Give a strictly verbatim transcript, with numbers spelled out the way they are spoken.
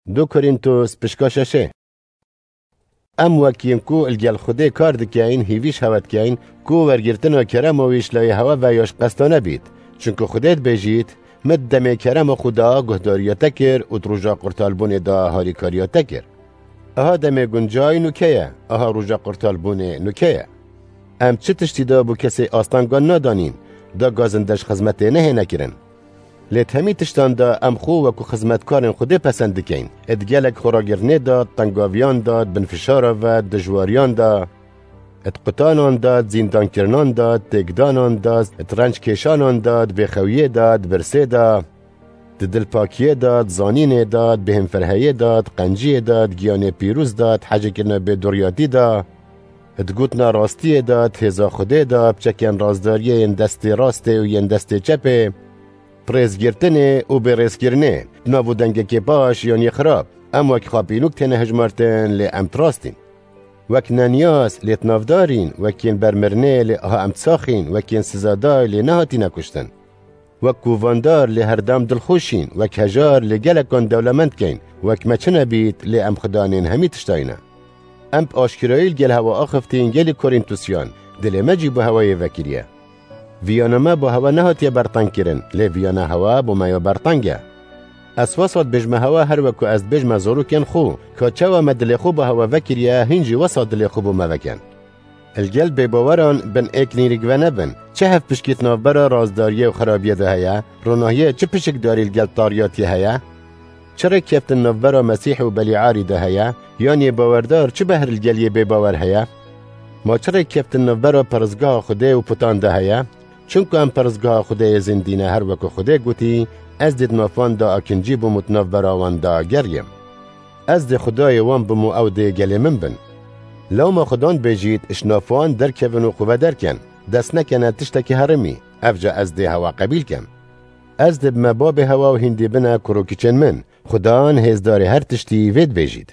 Du Korîntos pişka şeşê. Em wek yên ku li gel Xwedê kar dikeyn, hîvî ji hewe dikeyn, ku wergirtina kerema wî ji layê hewe ve ya ji qestane bît. Çunku Xwedê dibêjît, Min di demê kerema xwe de guhdariya te kir û di roja qurtalbûnê de harîkariya te kir. Aha demê guncay nûke ye, aha roja qurtalbûnê nûke ye. Em çi tiştî de bo kesê astengan nadanîn, da gazinde ji xizmetê nehêne kirin. Lê di hemî tiştan de em xwe wekû xizmetkarên Xwedê pesend dikeyn. Di gelek xweragirinê de, di tengaviyan de, di binfişara ve, di dijwariyan de, di qutanan de, di zîndankirinan de, di têkdanan de, di renckêşanan de, di bêxewiyê de, di birsê de, di dilpakiyê de, di zanînê de, di bêhemferheyê de, di qenciyê de, di giyanê pîroz de, di hecekirina bêdoriyatî de, di gotina rastiyê de, di hêza Xwedê de, bi çekên rastdariyê yên destê rastê û yên destê çepê, bi rêzgirtinê û bêrêzkirinê, di nav û dengekê baş yan yê xirab, em wek xapînok têne hejmartin, lê em di rastîn. Wek neniyaz, lê di navdarîn, wek yên bermirinê, lê aha em di saxîn, wek yên sizadayê, lê nehatîne kuştin. Wek kovandar, lê herdem dilxweşîn, wek hejar, lê gelekan dewlemend keyn, wek me çi nebît, lê em xudanên hemî tiştayî ne. Em bi aşkirayî li gel hewa axiftîn gelî Korîntusiyan, dilê me jî bo hewayê vekiriye. Viyana me bo hewa nehatiye bertengkirin, lê viyana hewa bo me ya berteng e. Ez wesa dibêjme hewa her wekû ez dibêjme zarokên xwe, ka çawa me dilê xwe bo hewa vekiriye, hîn jî wesa dilê xwe bo me vekin. Li gel bêbaweran bin êk nîrik venebin, çi hevpişkî di navbera rastdariyê û xerabiyê de heye, ronahiyê çi pişikdarî li gel tariyatiyê heye? Çi rêkkeftin navbera Mesîh û Belîarî de heye? Yan yê bawerdar çi behr li gel yê bêbawer heye? Ma çi rêkkeftin navbera peristgeha Xwedê û putan de heye? Çunku em peristgeha Xwedê yê zindî ne, her wekû Xwedê gotî, Ez dê di nav wan de akincî bûm û di navbera wan de geriyim. Ez dê Xwedayê wan bim û ew dê gelê min bin. Lewma Xudan bêjît, ji nav wan derkevin û xwe vederken, dest nekene tiştekî herimî, ev ca ez dê hewa qebîl kem. Ez dê bime babê hewa û hîn dê bine kur û kiçên min, Xudan hêzdarê her tiştî vê dibêjît.